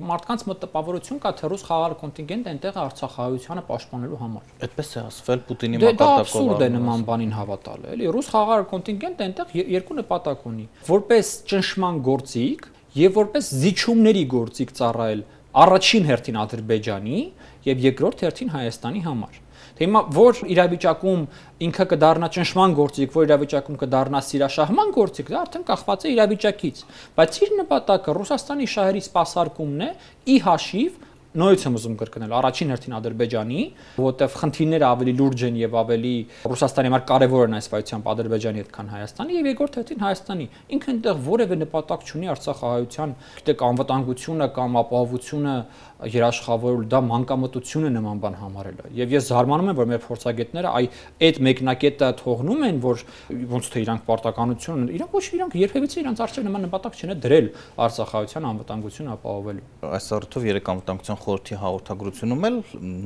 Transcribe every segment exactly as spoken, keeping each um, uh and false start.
Մարդկանց մոտ տպավորություն կա, թե ռուս խաղաղ կոնտինգենտը այնտեղ է արցախահայությանը պաշտպանելու համար։ Այդպես է ասվել Պուտինի մակարդակով։ Դա մակարդակով։ աբսուրդ է նման բանին հավատալը, էլի ռուս խաղաղ կոնտինգենտը այնտեղ երկու նպատակ ունի՝ որպես ճնշման գործիք եւ որպես զիջումների գործիք ծառայել առաջին հերթին Ադրբեջանի եւ երկրորդ հերթին Հայաստանի համար։ Թե հիմա որ իրավիճակում ինքը կդառնա ճնշման գործիք, որ իրավիճակում կդառնա սիրաշահման գործիք, դա արդեն կախված է իրավիճակից, բայց իր նպատակը Ռուսաստանի շահերի սպասարկումն է ի հաշիվ նույնից եմ ուզում կրկնել առաջին հերթին Ադրբեջանի, որտեղ խնդիրները ավելի լուրջ են եւ ավելի Ռուսաստանի համար կարեւոր են այս վայությամբ Ադրբեջանի հետ, քան Հայաստանի եւ երկրորդ հերթին Հայաստանի։ Ինքը այնտեղ որևէ նպատակ չունի արցախահայության, գիտեք, անվտանգությունը կամ ապահովությունը երաշխավորել, դա մանկամտություն է նման բան համարելը։ Եվ ես զարմանում եմ, որ մեր փորձագետները այ այդ մեկնակետը թողնում են, որ ոնց թե իրանք պարտականություն ունեն, իրանք ոչ իրանք երբևիցե իրանք արժե նման նպատակ չեն դրել արցախահայության անվտանգությունը ապահովելու։ Այս առիթով երեք անվտանգության խորհրդի հաղորդագրությունում էլ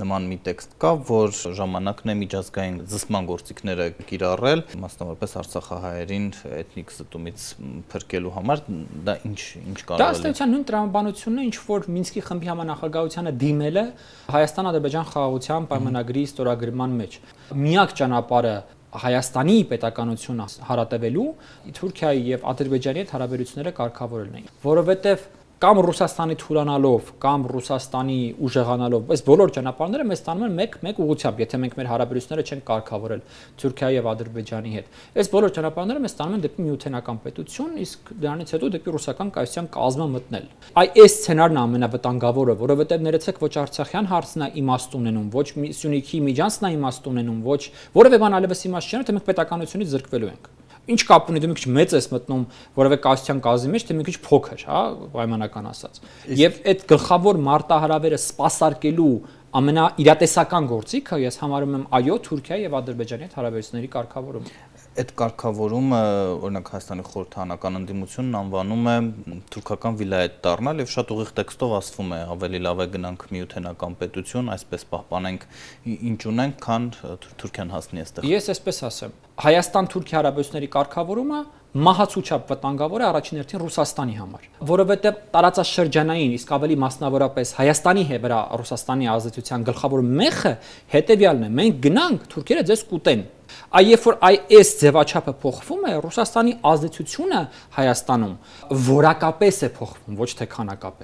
նման մի տեքստ կա, որ ժամանակն է միջազգային զսպման գործիքները կիրառել, մասնավորապես արցախահայերին էթնիկ զտումից փրկելու համար, դա ինչ ինչ կարող է։ Դա ըստեյության նույն տրամաբանությունն է, ինչ որ Մինսկի խմբի համանախագահությանը դիմել է Հայաստան-Ադրբեջան խաղաղության պայմանագրի ստորագրման մեջ։ Միակ ճանապարհը Հայաստանի պետականությունը հարատևելու Թուրքիայի եւ Ադրբեջանի հետ հարաբերությունները կարգավորելն է, որովհետեւ կամ Ռուսաստանի թուլանալով, կամ Ռուսաստանի ուժեղանալով, այս բոլոր ճանապարհները մեզ տանում են մեկ-մեկ ուղղությամբ, եթե մենք մեր հարաբերությունները չենք կարգավորել Թուրքիայի եւ Ադրբեջանի հետ։ Այս բոլոր ճանապարհները մեզ տանում են դեպի միութենական պետություն, իսկ դրանից հետո դեպի ռուսական կայսրության կազմը մտնել։ Այ այս սցենարն է ամենավտանգավորը, որովհետեւ ներեցեք ոչ Արցախյան հարցն է իմաստ ունենում, ոչ Սյունիքի միջանցն է իմաստ ունենում, ոչ որևէ բան այլևս իմաստ չէ, թե մենք պետականությունից զրկվելու ենք։ Ինչ կապ ունի դու մի քիչ մեծ ես մտնում որևէ կայսրության կազմի մեջ, թե մի քիչ փոքր, հա, պայմանական ասած։ Եվ այդ գլխավոր մարտահրավերը սպասարկելու ամենաիրատեսական գործիքը ես համարում եմ այո Թուրքիայի եւ Ադրբեջանի հետ հարաբերությունների կարգավորումը։ Այդ կարգավորումը, օրինակ Հայաստանի խորհրդանական ընդդիմությունն անվանում է թուրքական վիլայետ դառնալ եւ շատ ուղիղ տեքստով ասվում է ավելի լավ է գնանք միութենական պետություն, այսպես պահպանենք ինչ ունենք, քան Թուրքիան հասնի այստեղ։ Ես այսպես ասեմ, Հայաստան-Թուրքիա հարաբերությունների կարգավորումը մահացուչապ վտանգավոր է առաջին հերթին Ռուսաստանի համար, որովհետև տարածաշրջանային, իսկ ավելի մասնավորապես Հայաստանի վրա Ռուսաստանի ազդեցության գլխավոր մեխը հետևյալն է՝ մենք գնանք, թուրքերը ձեզ կուտեն։ Այ երբ որ այս ձևաչափը փոխվում է, Ռուսաստանի ազդեցությունը Հայաստանում որակապես է փոխվում, ոչ թե քանակապես։